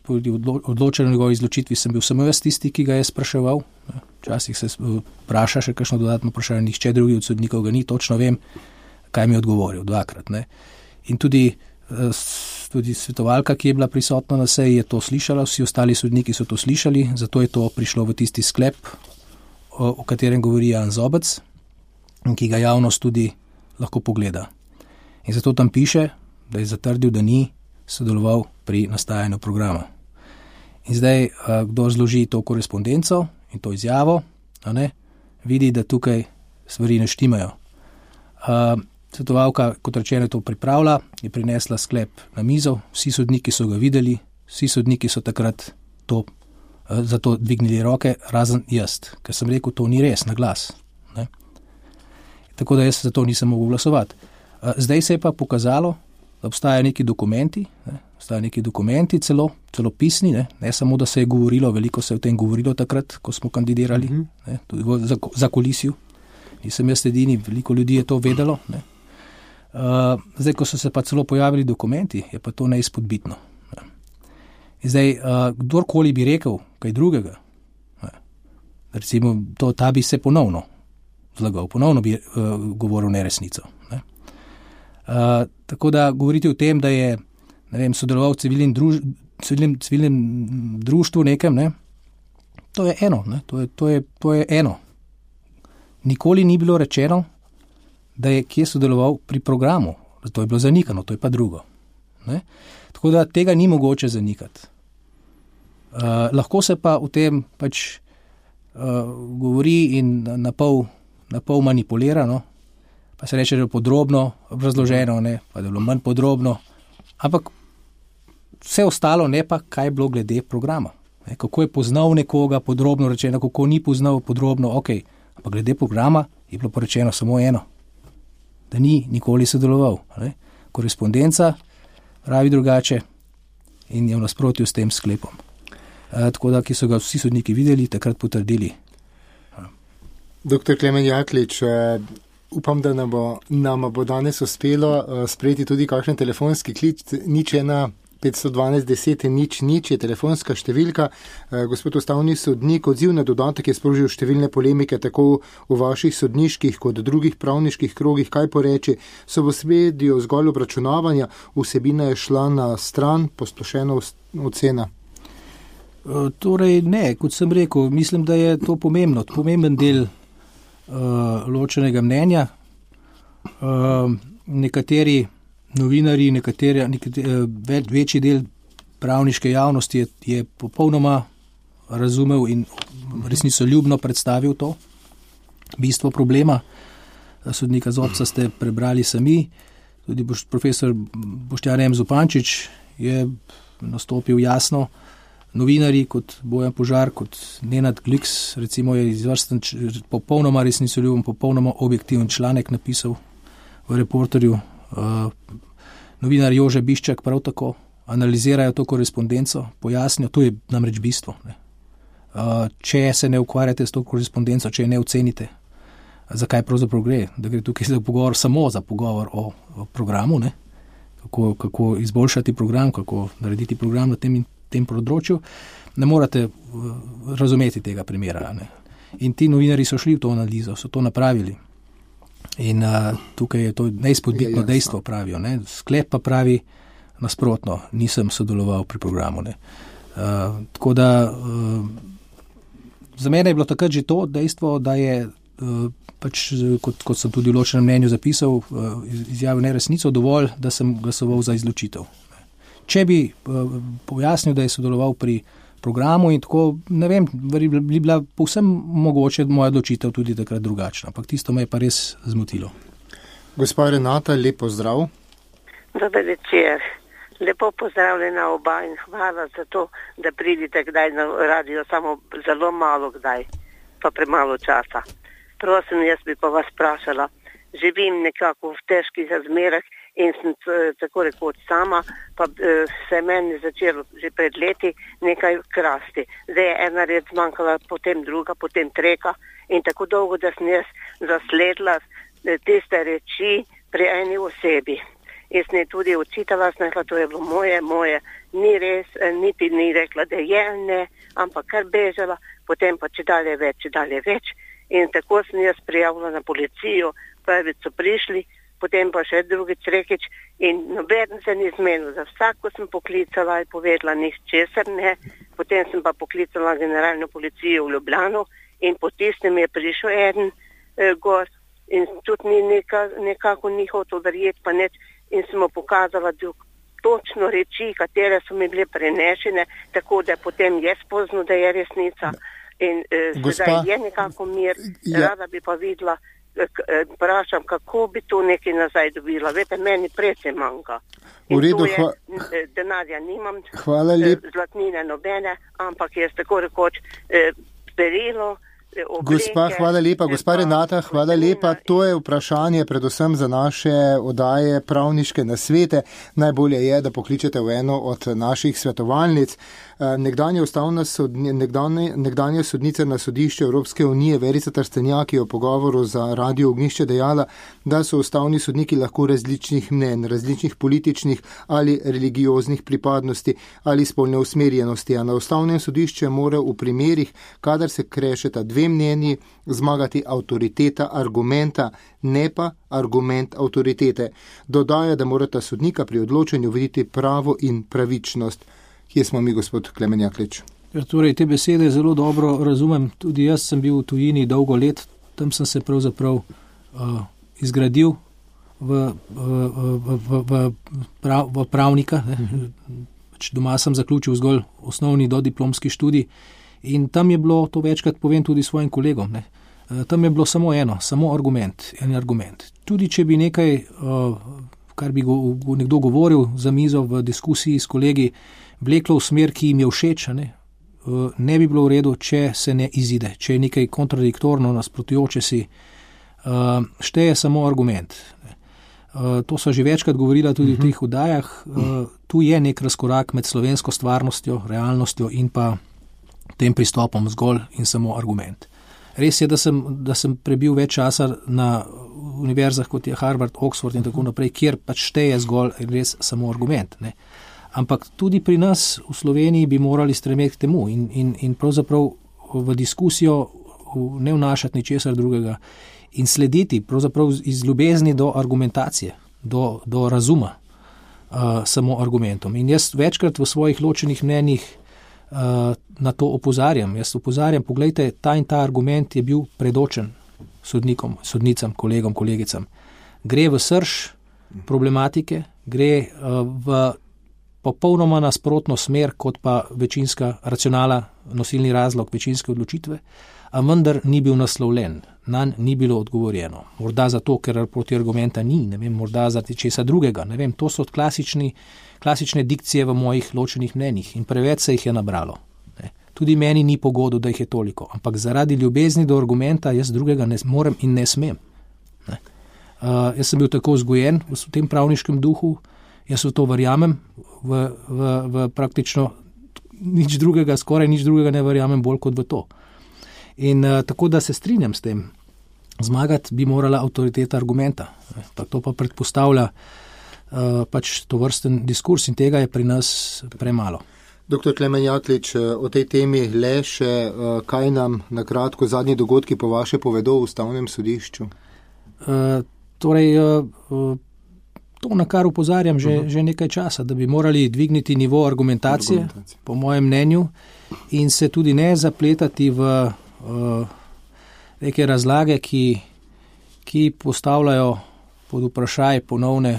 odločanju o njegovi izločitvi sem bil samo jaz tisti, ki ga je spraševal. Včasih se vpraša še kakšno dodatno vprašanje, nihče drugi od sodnikov ga ni, točno vem, kaj mi je odgovoril, dvakrat. In tudi svetovalka, ki je bila prisotna na seji, je to slišala, vsi ostali sodniki so to slišali, zato je to prišlo v tisti sklep, o katerem govori Jan Zobec, ki ga javnost tudi lahko pogleda. In zato tam piše, da je zatrdil, da ni sodeloval pri nastajanju programa. In zdaj, kdo zloži to korespondenco in to izjavo, vidi, da tukaj stvari ne štimajo. Svetovalka, kot rečeno, to pripravlja, je prinesla sklep na mizo, vsi sodniki so ga videli, vsi sodniki so takrat za to dvignili roke, razen jaz, ker sem rekel, to ni res na glas. Ne? Tako da jaz za to nisem mogel glasovati. Zdaj se je pa pokazalo, da obstajajo neki dokumenti, celo pisni, ne samo, da se je govorilo, veliko se je o tem govorilo takrat, ko smo kandidirali, ne, tudi za kulisiju. Nisem jaz edini, veliko ljudi je to vedelo. Ne. Zdaj, ko so se pa celo pojavili dokumenti, je pa to neizpodbitno. Ne. In zdaj, kdorkoli bi rekel kaj drugega, ne, recimo, ta bi se ponovno zlagal, ponovno bi govoril neresnico. Ne. Tako da govoriti o tem, da je, ne vem, sodeloval v civilnem društvu nekem, ne, to je eno, ne, to je eno. Nikoli ni bilo rečeno, da je kje sodeloval pri programu. To je bilo zanikano, to je pa drugo. Ne? Tako da tega ni mogoče zanikati. Lahko se pa v tem pač govori in na pol manipulira, no? Pa se reče, da je podrobno razloženo, ne? Pa da je bilo manj podrobno, ampak vse ostalo ne pa, kaj je bilo glede programa. Ne? Kako je poznal nekoga podrobno rečeno, kako ni poznal podrobno, okej. Ampak glede programa je bilo porečeno samo eno, da ni nikoli sodeloval. Ne? Korespondenca pravi drugače in je v nasprotju s tem sklepom. Tako da, ki so ga vsi sodniki videli, takrat potrdili. Dr. Klemen Jaklič, upam, da nam bo danes uspelo sprejeti tudi kakšen telefonski klic, 01 512 10 0 je telefonska številka. Gospod ustavni sodnik, odziv na dodatek je sprožil številne polemike tako v vaših sodniških kot drugih pravniških krogih. Kaj poreči? So v spredju zgolj obračunavanja, vsebina je šla na stran, posplošena ocena? Torej ne, kot sem rekel, mislim, da je to pomemben del ločenega mnenja. Nekateri novinari, večji del pravniške javnosti je popolnoma razumel in resnicoljubno predstavil to bistvo problema. Sodnika Zobca ste prebrali sami, tudi profesor Boštjan M. Zupančič je nastopil jasno. Novinari kot Bojan Požar, kot Nenad Gliks, recimo je izvrsten, popolnoma resnicoljuben, popolnoma objektiven članek napisal v Reporterju. Novinar Jože Biščak prav tako analizirajo to korespondenco, pojasnijo, to je namreč bistvo. Ne. Če se ne ukvarjate s to korespondenco, če je ne ocenite, zakaj pravzaprav gre, da gre tukaj za pogovor, samo za pogovor o programu, ne. Kako izboljšati program, kako narediti program na tem področju, ne morate razumeti tega primera. Ne. In ti novinari so šli v to analizo, so to napravili. In tukaj je to neizpodbitno dejstvo, pravijo. Ne. Sklep pa pravi nasprotno, nisem sodeloval pri programu. Ne. Tako da za mene je bilo takrat že to dejstvo, da je pač, kot sem tudi v ločenem mnenju zapisal, izjavil neresnico, dovolj, da sem glasoval za izločitev. Če bi pojasnil, da je sodeloval pri programu in tako, ne vem, bi bila povsem mogoče moja odločitev tudi takrat drugačna, ampak tisto me je pa res zmotilo. Gospa Renata, lep pozdrav. Dober večer. Lepo pozdravljena oba in hvala za to, da pridite kdaj na radio, samo zelo malo kdaj, pa premalo časa. Prosim, jaz bi pa vas vprašala, živim nekako v težkih razmerah in sem tako rekoč sama, pa se meni začelo že pred leti nekaj krasti. Zdaj je ena red zmanjkala, potem druga, potem treka in tako dolgo, da sem jaz zasledila tiste reči pri eni osebi. Jaz ne tudi očitala, sem rekla, to je bilo moje, ni res, niti ni rekla, da je ne, ampak kar bežala, potem pa če dalje več. In tako sem jaz prijavila na policijo, prvič so prišli, potem pa še drugič rekič in noben se ni zmenil. Za vsako sem poklicala in povedala nič česar ne, potem sem pa poklicala generalno policijo v Ljubljano in po tistem je prišel eden gost in tudi ni nekako ni hotel verjeti pa nič in sem mu pokazala točno reči, katere so mi bile prenešene, tako da potem je spoznal, da je resnica. In sedaj je nekako mir, rada bi pa videla, vprašam, kako bi to nekaj nazaj dobila. Vete, meni precej manjka. V redu, denarja nimam, zlatnine nobene, ampak jaz tako rekoč perilo, Gospa, hvala lepa. Gospa Renata, hvala lepa. To je vprašanje predvsem za naše oddaje pravniške nasvete. Najbolje je, da pokličete v eno od naših svetovalnic. Nekdanja sodnica na sodišču Evropske unije Verica Trstenjak je v pogovoru za Radio Ognjišče dejala, da so ustavni sodniki lahko različnih mnen, različnih političnih ali religioznih pripadnosti ali spolne usmerjenosti, a na ustavnem sodišču mora v primerih, kadar se krešeta dve mnenji, zmagati avtoriteta argumenta, ne pa argument avtoritete. Dodaja, da morata sodnika pri odločanju videti pravo in pravičnost. Kje smo mi, gospod Klemen Jaklič? Torej, te besede zelo dobro razumem. Tudi jaz sem bil v tujini dolgo let, tam sem se pravzaprav izgradil v pravnika. Doma sem zaključil zgolj osnovni dodiplomski študij in tam je bilo, to večkrat povem tudi svojim kolegom, tam je bilo samo argument, en argument. Tudi če bi nekaj, kar bi nekdo govoril za mizo v diskusiji s kolegi, vleklo v smer, ki jim je všeč, ne bi bilo v redu, če se ne izide, če je nekaj kontradiktorno, nasprotujoče si, šteje samo argument. To so že večkrat govorila tudi v teh oddajah. Tu je nek razkorak med slovensko stvarnostjo, realnostjo in pa tem pristopom zgolj in samo argument. Res je, da sem prebil več časa na univerzah, kot je Harvard, Oxford in tako naprej, kjer pač šteje zgolj res samo argument. Ampak tudi pri nas v Sloveniji bi morali stremeti k temu in pravzaprav v diskusijo ne vnašati ničesar drugega in slediti pravzaprav iz ljubezni do argumentacije, do razuma samo argumentom. In jaz večkrat v svojih ločenih mnenjih na to opozarjam. Jaz opozarjam, poglejte, ta in ta argument je bil predočen sodnikom, sodnicam, kolegom, kolegicam. Gre v srž problematike, gre v popolnoma nasprotno smer, kot pa večinska racionala, nosilni razlog večinske odločitve, a vendar ni bil naslovljen, nanj ni bilo odgovorjeno. Morda zato, ker proti argumenta ni, ne vem, morda zaradi česa drugega, ne vem, to so klasične dikcije v mojih ločenih mnenjih in preveč se jih je nabralo. Tudi meni ni pogodo, da jih je toliko, ampak zaradi ljubezni do argumenta jaz drugega ne morem in ne smem. Jaz sem bil tako vzgojen v tem pravniškem duhu, jaz v to verjamem, v praktično nič drugega, skoraj nič drugega ne verjamem bolj kot v to. In tako, da se strinjam s tem, zmagati bi morala avtoriteta argumenta. To pa predpostavlja pač to vrsten diskurs in tega je pri nas premalo. Dr. Klemen Jaklič, o tej temi le še, kaj nam na kratko zadnji dogodki po vaše povedo v ustavnem sodišču? To, na kar upozarjam že nekaj časa, da bi morali dvigniti nivo argumentacije, po mojem mnenju, in se tudi ne zapletati v neke razlage, ki postavljajo pod vprašaj,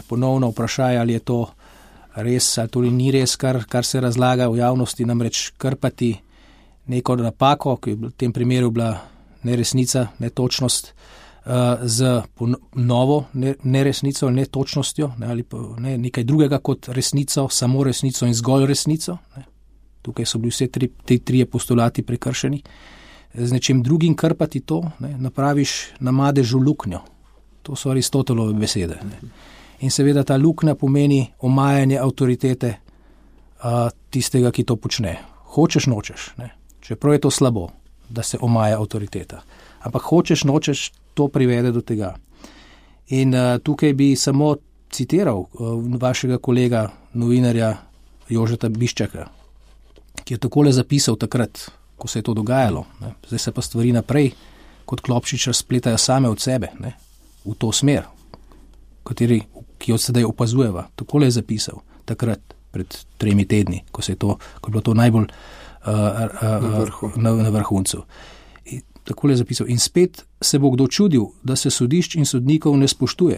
ponovno vprašaj, ali je to res, ali to ni res, kar se razlaga v javnosti, namreč krpati neko napako, ki je v tem primeru bila neresnica, netočnost, z novo neresnico, netočnostjo, ali pa nekaj drugega kot resnico, samo resnico in zgolj resnico. Tukaj so bili vse te trije postulati prekršeni. Z nečim drugim krpati to, napraviš na madežu luknjo. To so Aristotelove besede. In seveda ta luknja pomeni omajanje avtoritete tistega, ki to počne. Hočeš, nočeš. Čeprav je to slabo, da se omaja avtoriteta. Ampak hočeš, nočeš, to privede do tega. In tukaj bi samo citiral vašega kolega, novinarja Jožeta Biščaka, ki je takole zapisal takrat, ko se je to dogajalo. Zdaj se pa stvari naprej, kot klopčič razpletajo same od sebe, v to smer, ki jo sedaj opazujeva. Takole je zapisal takrat, pred 3 tedni, ko je bilo to najbolj na vrhuncu. Takole je zapisal. In spet se bo kdo čudil, da se sodišč in sodnikov ne spoštuje.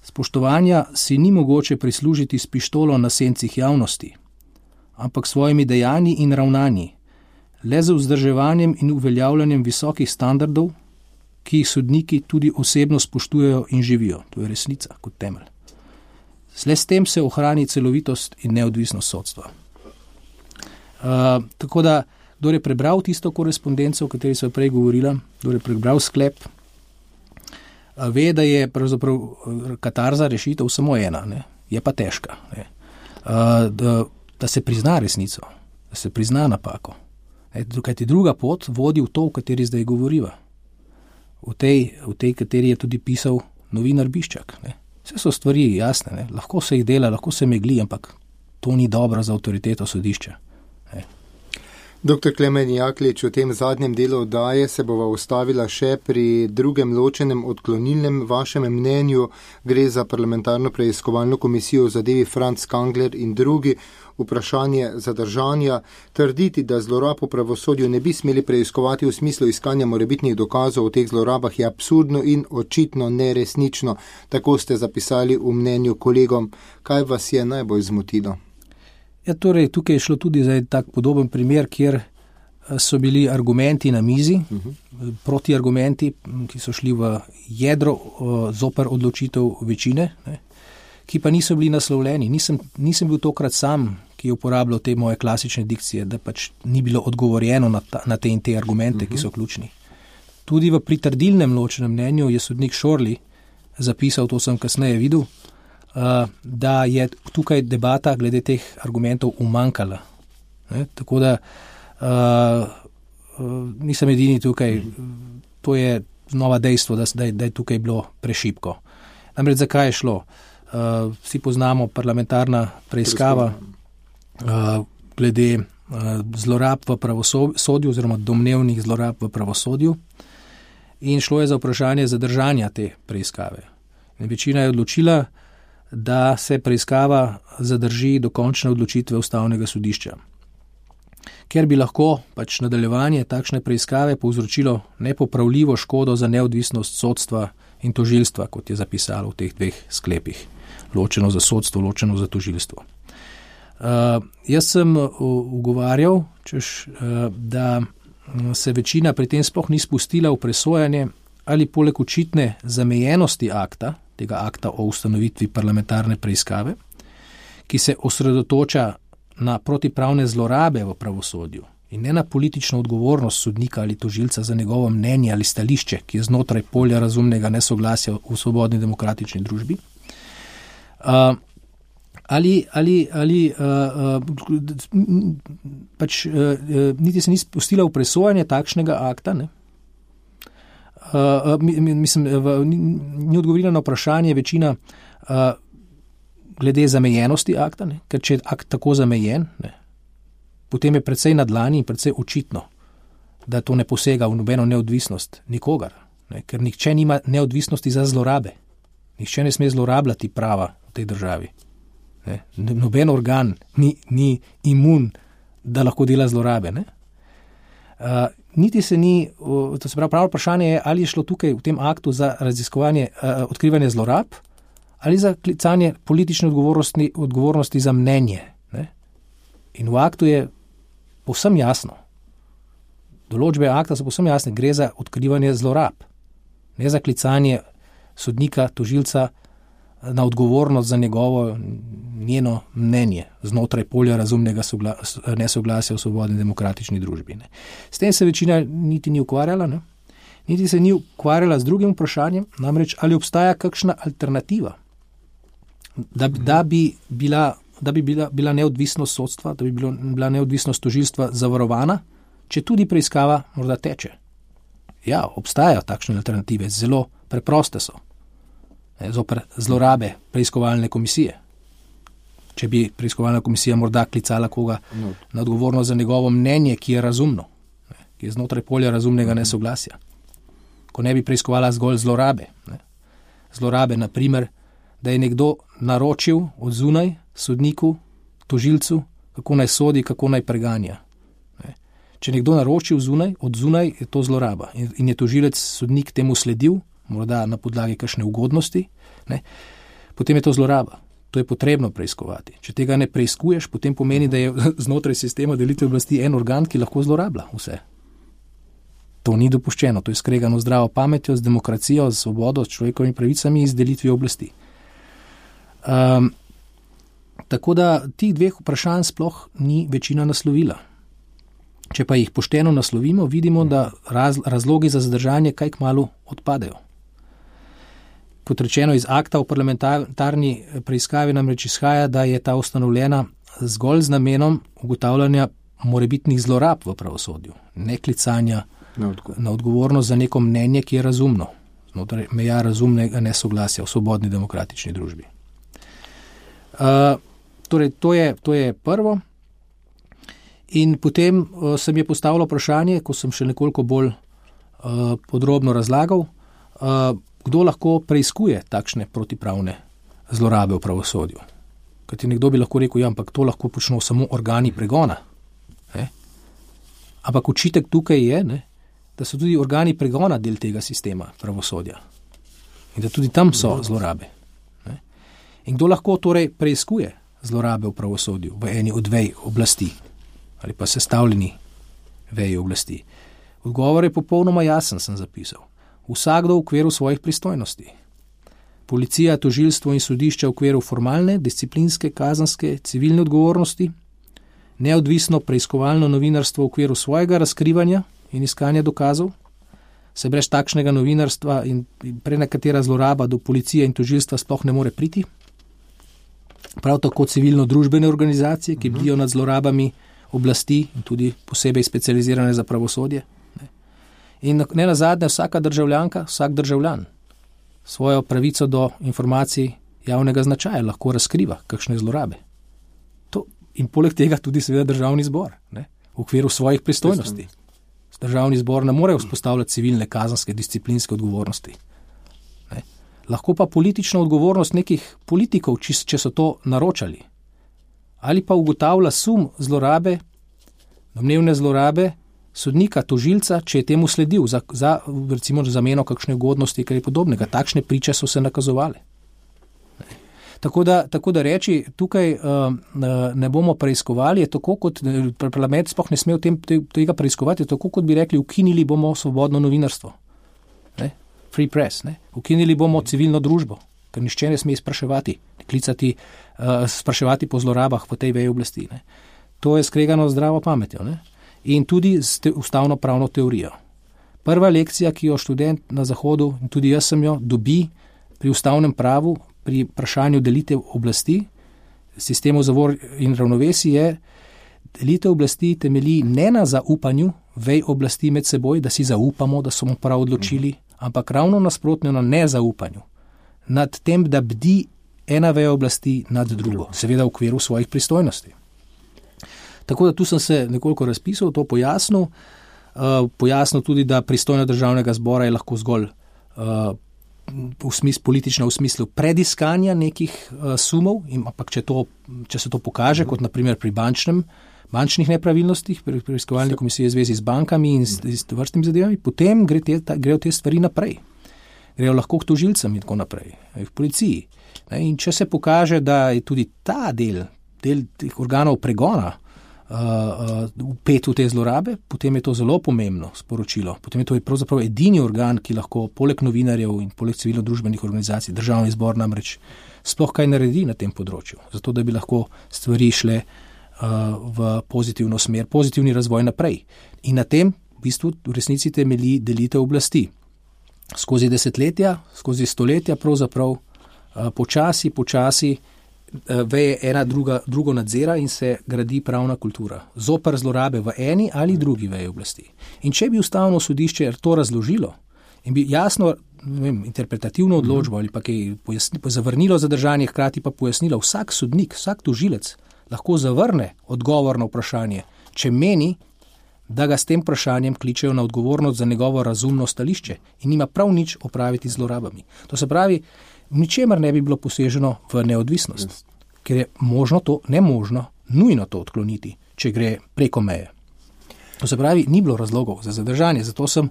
Spoštovanja si ni mogoče prislužiti s pištolo na sencih javnosti, ampak svojimi dejanji in ravnanji, le z vzdrževanjem in uveljavljanjem visokih standardov, ki jih sodniki tudi osebno spoštujejo in živijo. To je resnica kot temelj. Le s tem se ohrani celovitost in neodvisnost sodstva. Tako da, kdor je prebral tisto korespondenco, o kateri sva prej govorila, kdor je prebral sklep, ve, da je pravzaprav katarza rešitev samo ena, ne? Je pa težka. Ne? Da se prizna resnico, da se prizna napako. Kajti druga pot vodi v to, v kateri zdaj govoriva. V tej, kateri je tudi pisal novinar Biščak. Ne? Vse so stvari jasne, ne? Lahko se jih dela, lahko se megli, ampak to ni dobro za avtoriteto sodišča. Ne? Dr. Klemen Jaklič, v tem zadnjem delu oddaje se bova ustavila še pri drugem ločenem odklonilnem vašem mnenju. Gre za parlamentarno preiskovalno komisijo v zadevi Franc Kangler in drugi. Vprašanje zadržanja. Trditi, da zlorab v pravosodju ne bi smeli preiskovati v smislu iskanja morebitnih dokazov o teh zlorabah, je absurdno in očitno neresnično. Tako ste zapisali v mnenju kolegom. Kaj vas je najbolj zmotilo? Ja, torej, tukaj je šlo tudi za tak podoben primer, kjer so bili argumenti na mizi, protiargumenti, ki so šli v jedro zoper odločitev večine, ne, ki pa niso bili naslovljeni. Nisem bil tokrat sam, ki je uporabljal te moje klasične dikcije, da pač ni bilo odgovorjeno na te in te argumente, ki so ključni. Tudi v pritrdilnem ločenem mnenju je sodnik Šorli zapisal, to sem kasneje videl, da je tukaj debata glede teh argumentov umanjkala. Tako da nisem edini tukaj, to je nova dejstvo, da je tukaj bilo prešibko. Namreč zakaj je šlo? Vsi poznamo parlamentarna preiskava glede zlorab v pravosodju oziroma domnevnih zlorab v pravosodju in šlo je za vprašanje zadržanja te preiskave. In večina je odločila, da se preiskava zadrži do končne odločitve Ustavnega sodišča. Ker bi lahko pač nadaljevanje takšne preiskave povzročilo nepopravljivo škodo za neodvisnost sodstva in tožilstva, kot je zapisalo v teh dveh sklepih. Ločeno za sodstvo, ločeno za tožilstvo. Jaz sem ugovarjal, da se večina pri tem sploh ni spustila v presojanje ali poleg očitne zamejenosti akta, tega akta o ustanovitvi parlamentarne preiskave, ki se osredotoča na protipravne zlorabe v pravosodju in ne na politično odgovornost sodnika ali tožilca za njegovo mnenje ali stališče, ki je znotraj polja razumnega nesoglasja v svobodni demokratični družbi. Niti se ni spustila v presojanje takšnega akta, ne? Ni odgovorila na vprašanje večina glede zamejenosti akta, ne? Ker če je akt tako zamejen, ne? Potem je precej na dlani in precej očitno, da to ne posega v nobeno neodvisnost nikogar, ne? Ker nihče nima neodvisnosti za zlorabe. Nihče ne sme zlorabljati prava v tej državi. Ne? Noben organ ni imun, da lahko dela zlorabe, ne? Niti se ni, to se pravi, pravo vprašanje je, ali je šlo tukaj v tem aktu za raziskovanje, odkrivanje zlorab ali za klicanje politične odgovornosti za mnenje. Ne? In v aktu je povsem jasno, določbe akta so povsem jasne, gre za odkrivanje zlorab, ne za klicanje sodnika, tožilca na odgovornost za njeno mnenje znotraj polja razumnega nesoglasja v svobodni demokratični družbi. Ne. S tem se večina niti ni ukvarjala, ne. Niti se ni ukvarjala z drugim vprašanjem, namreč ali obstaja kakšna alternativa, da bi bila neodvisnost sodstva, da bi bila neodvisnost tožilstva zavarovana, če tudi preiskava morda teče. Ja, obstajajo takšne alternative, zelo preproste so. Zoper zlorabe preiskovalne komisije. Če bi preiskovalna komisija morda klicala koga na odgovornost za njegovo mnenje, ki je razumno, ki je znotraj polja razumnega nesoglasja. Ko ne bi preiskovala zgolj zlorabe. Zlorabe, na primer, da je nekdo naročil od zunaj sodniku, tožilcu, kako naj sodi, kako naj preganja. Če nekdo naroči od zunaj, je to zloraba. In je tožilec, sodnik temu sledil, morda na podlagi kakšne ugodnosti, ne, potem je to zloraba. To je potrebno preiskovati. Če tega ne preiskuješ, potem pomeni, da je znotraj sistema delitve oblasti en organ, ki lahko zlorablja vse. To ni dopuščeno, to je skregano z zdravo pametjo, z demokracijo, z svobodo, s človekovimi pravicami in z delitvijo oblasti. Tako da tih dveh vprašanj sploh ni večina naslovila. Če pa jih pošteno naslovimo, vidimo, da razlogi za zadržanje kaj kmalu odpadejo. Kot rečeno, iz akta o parlamentarni preiskavi namreč izhaja, da je ta ustanovljena zgolj z namenom ugotavljanja morebitnih zlorab v pravosodju, ne klicanja na odgovornost za neko mnenje, ki je razumno, znotraj meja razumnega nesoglasja v svobodni demokratični družbi. Torej, to je prvo. In potem se mi je postavilo vprašanje, ko sem še nekoliko bolj podrobno razlagal, kdo lahko preiskuje takšne protipravne zlorabe v pravosodju. Kajti nekdo bi lahko rekel, ja, ampak to lahko počnejo samo organi pregona. Ampak očitek tukaj je, da so tudi organi pregona del tega sistema pravosodja in da tudi tam so zlorabe. In kdo lahko torej preiskuje zlorabe v pravosodju v eni od vej oblasti ali pa sestavljeni veji oblasti? Odgovor je popolnoma jasen, sem zapisal. Vsakdo v okviru svojih pristojnosti. Policija, tožilstvo in sodišča v okviru formalne, disciplinske, kazenske, civilne odgovornosti, neodvisno preiskovalno novinarstvo v okviru svojega razkrivanja in iskanja dokazov, se brez takšnega novinarstva in prenekatera zloraba do policije in tožilstva sploh ne more priti. Prav tako civilno-družbene organizacije, ki bdijo nad zlorabami oblasti in tudi posebej specializirane za pravosodje. In ne nazadnje vsaka državljanka, vsak državljan svojo pravico do informacij javnega značaja lahko razkriva, kakšne zlorabe. In poleg tega tudi seveda državni zbor, v okviru svojih pristojnosti. Državni zbor ne more vzpostavljati civilne, kazenske, disciplinske odgovornosti. Lahko pa politična odgovornost nekih politikov, če so to naročali. Ali pa ugotavlja sum zlorabe, domnevne zlorabe sodnika, tožilca, če je temu sledil za recimo zameno kakšne ugodnosti, kar je podobnega. Takšne priče so se nakazovale. Tako da reči, tukaj ne bomo preiskovali, je tako, kot parlament sploh ne sme tega preiskovati, je tako, kot bi rekli, ukinili bomo svobodno novinarstvo. Free press. Ukinili bomo civilno družbo, ker nišče ne sme spraševati, spraševati po zlorabah v tej veji oblasti. To je skregano z zdravo pametjo. In tudi z ustavno pravno teorijo. Prva lekcija, ki jo študent na Zahodu, in tudi jaz sem jo, dobi pri ustavnem pravu, pri vprašanju delitev oblasti, sistemu zavor in ravnovesij je, delitev oblasti temelji ne na zaupanju vej oblasti med seboj, da si zaupamo, da smo prav odločili, ampak ravno nasprotno na nezaupanju. Nad tem, da bdi ena veja oblasti nad drugo, seveda v okviru svojih pristojnosti. Tako da tu sem se nekoliko razpisal, to pojasnil. Pojasnil tudi, da pristojnost državnega zbora je lahko zgolj politična v smislu prediskanja nekih sumov, ampak če se to pokaže, kot naprimer pri bančnih nepravilnostih, pri preiskovalni komisiji v zvezi z bankami in s vrstnimi zadevami, potem grejo te stvari naprej. Grejo lahko k tožilcem in tako naprej, v policiji. In če se pokaže, da je tudi ta del teh organov pregona vpet v te zlorabe, potem je to zelo pomembno sporočilo. Potem je to pravzaprav edini organ, ki lahko poleg novinarjev in poleg civilno-družbenih organizacij, državni zbor namreč sploh kaj naredi na tem področju, zato da bi lahko stvari šle v pozitivno smer, pozitivni razvoj naprej. In na tem v bistvu v resnici temelji delitev oblasti. Skozi desetletja, skozi stoletja pravzaprav počasi veje ena drugo nadzira in se gradi pravna kultura. Zoper zlorabe v eni ali drugi veji oblasti. In če bi ustavno sodišče to razložilo in bi jasno interpretativno odločbo ali pa kaj zavrnilo zadržanje, hkrati pa pojasnilo, vsak sodnik, vsak tožilec lahko zavrne odgovor na vprašanje, če meni, da ga s tem vprašanjem kličejo na odgovornost za njegovo razumno stališče in nima prav nič opraviti z zlorabami. To se pravi, ničemer ne bi bilo poseženo v neodvisnost, ker je nemožno, nujno to odkloniti, če gre preko meje. To se pravi, ni bilo razlogov za zadržanje, zato sem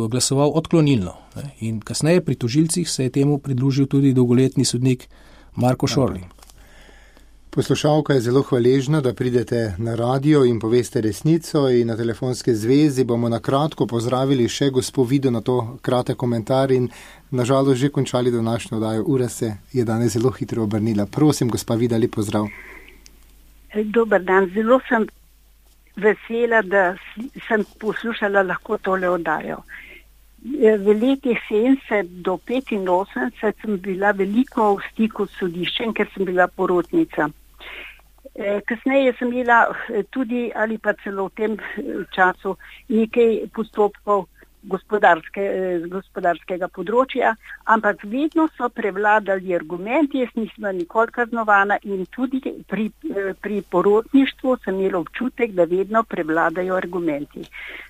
glasoval odklonilno. In kasneje pri tožilcih se je temu pridružil tudi dolgoletni sodnik Marko Šorli. Poslušalka je zelo hvaležna, da pridete na radio in poveste resnico, in na telefonske zvezi bomo na kratko pozdravili še gospo Vido na to kratek komentar in nažalost že končali današnjo oddajo. Ura se je danes zelo hitro obrnila. Prosim, gospa Vida, lep pozdrav. Dober dan, zelo sem vesela, da sem poslušala lahko tole oddajo. V letih 70 do 85 sem bila veliko v stiku s sodiščem, ker sem bila porotnica. Kasneje sem imela tudi ali pa celo v tem času nekaj postopkov gospodarskega področja, ampak vedno so prevladali argumenti, jaz nisem nikoli kaznovana in tudi pri porotništvu sem imela občutek, da vedno prevladajo argumenti.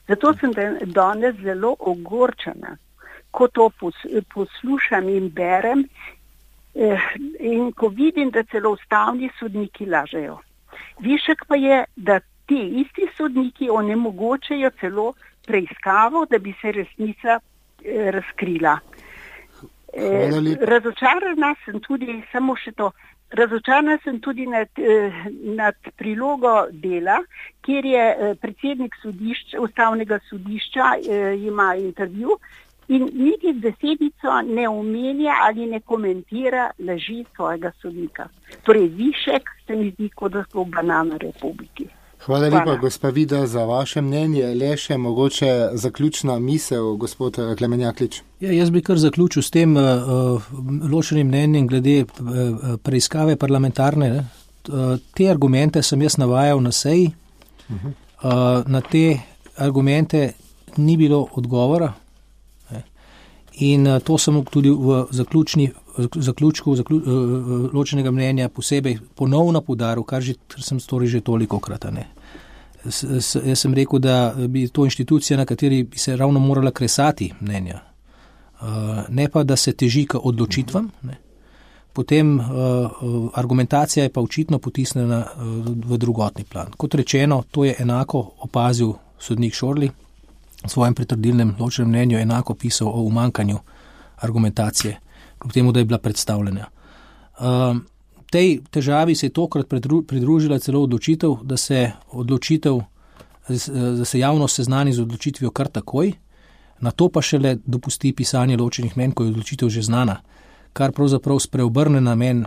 Zato sem danes zelo ogorčena, ko to poslušam in berem in ko vidim, da celo ustavni sodniki lažejo. Višek pa je, da ti isti sodniki onemogočajo celo preiskavo, da bi se resnica razkrila. Razočarana sem tudi, samo še to, razočarana sem tudi nad prilogo dela, kjer je predsednik ustavnega sodišča ima intervju in niti besedico ne omenja ali ne komentira laži svojega sodnika. Torej, Višek se mi zdi, kot da so v banana republiki. Hvala lepa, gospa Vida, za vaše mnenje. Le še mogoče zaključna misel, gospod Klemen Jaklič. Ja, jaz bi kar zaključil s tem ločenim mnenjem glede preiskave parlamentarne. Te argumente sem jaz navajal na seji. Na te argumente ni bilo odgovora. In to sem tudi v zaključku ločenega mnenja posebej ponovno poudaril, kar sem storil že tolikokrat. Jaz sem rekel, da bi to inštitucija, na kateri bi se ravno morala kresati mnenja, ne pa, da se teži k odločitvam. Potem argumentacija je pa očitno potisnjena v drugotni plan. Kot rečeno, to je enako opazil sodnik Šorli, v svojem pritrdilnem ločenem mnenju enako pisal o umankanju argumentacije, kljub temu, da je bila predstavljena. Tej težavi se je tokrat pridružila celo odločitev, da se javnost seznani z odločitvijo kar takoj, na to pa šele dopusti pisanje ločenih mnenj, ko je odločitev že znana, kar pravzaprav spreobrne namen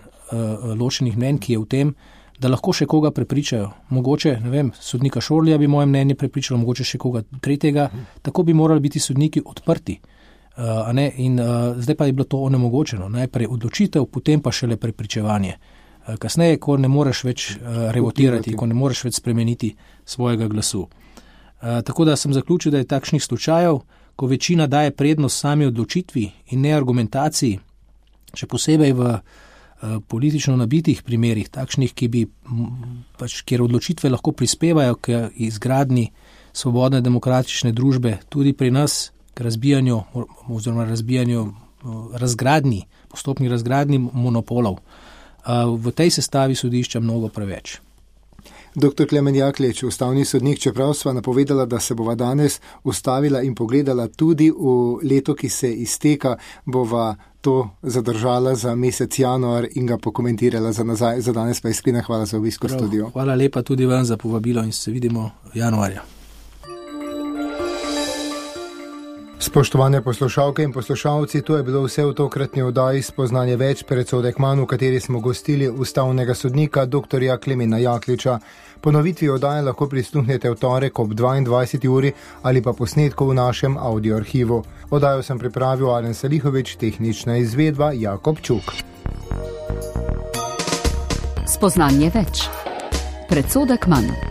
ločenih mnenj, ki je v tem, da lahko še koga prepričajo. Mogoče, ne vem, sodnika Šorlija bi moje mnenje prepričalo, mogoče še koga tretjega, tako bi morali biti sodniki odprti. Zdaj pa je bilo to onemogočeno. Najprej odločitev, potem pa šele prepričevanje. Kasneje, ko ne moreš več revotirati, ko ne moreš več spremeniti svojega glasu. Tako da sem zaključil, da je takšnih slučajev, ko večina daje prednost sami odločitvi in ne argumentaciji, še posebej v politično nabitih primerih, takšnih, kjer odločitve lahko prispevajo k izgradnji svobodne demokratične družbe, tudi pri nas k postopni razgradnji monopolov. V tej sestavi sodišča mnogo preveč. Dr. Klemen Jaklič, ustavni sodnik, čeprav sva napovedala, da se bova danes ustavila in pogledala tudi v leto, ki se izteka, bova to zadržala za mesec januar in ga pokomentirala za nazaj. Za danes pa iskrena hvala za obisk v studiu. Hvala lepa tudi vam za povabilo in se vidimo januarja. Spoštovane poslušalke in poslušalci, to je bilo vse v tokratni oddaji Spoznanje več, predsodek manj, v kateri smo gostili ustavnega sodnika dr. Klemena Jakliča. Ponovitvi oddaje lahko prisluhnete v torek ob 22. uri ali pa posnetku v našem audio arhivu. Oddajo sem pripravil Alen Salihovič, tehnična izvedba Jakob Čuk. Spoznanje več, predsodek manj.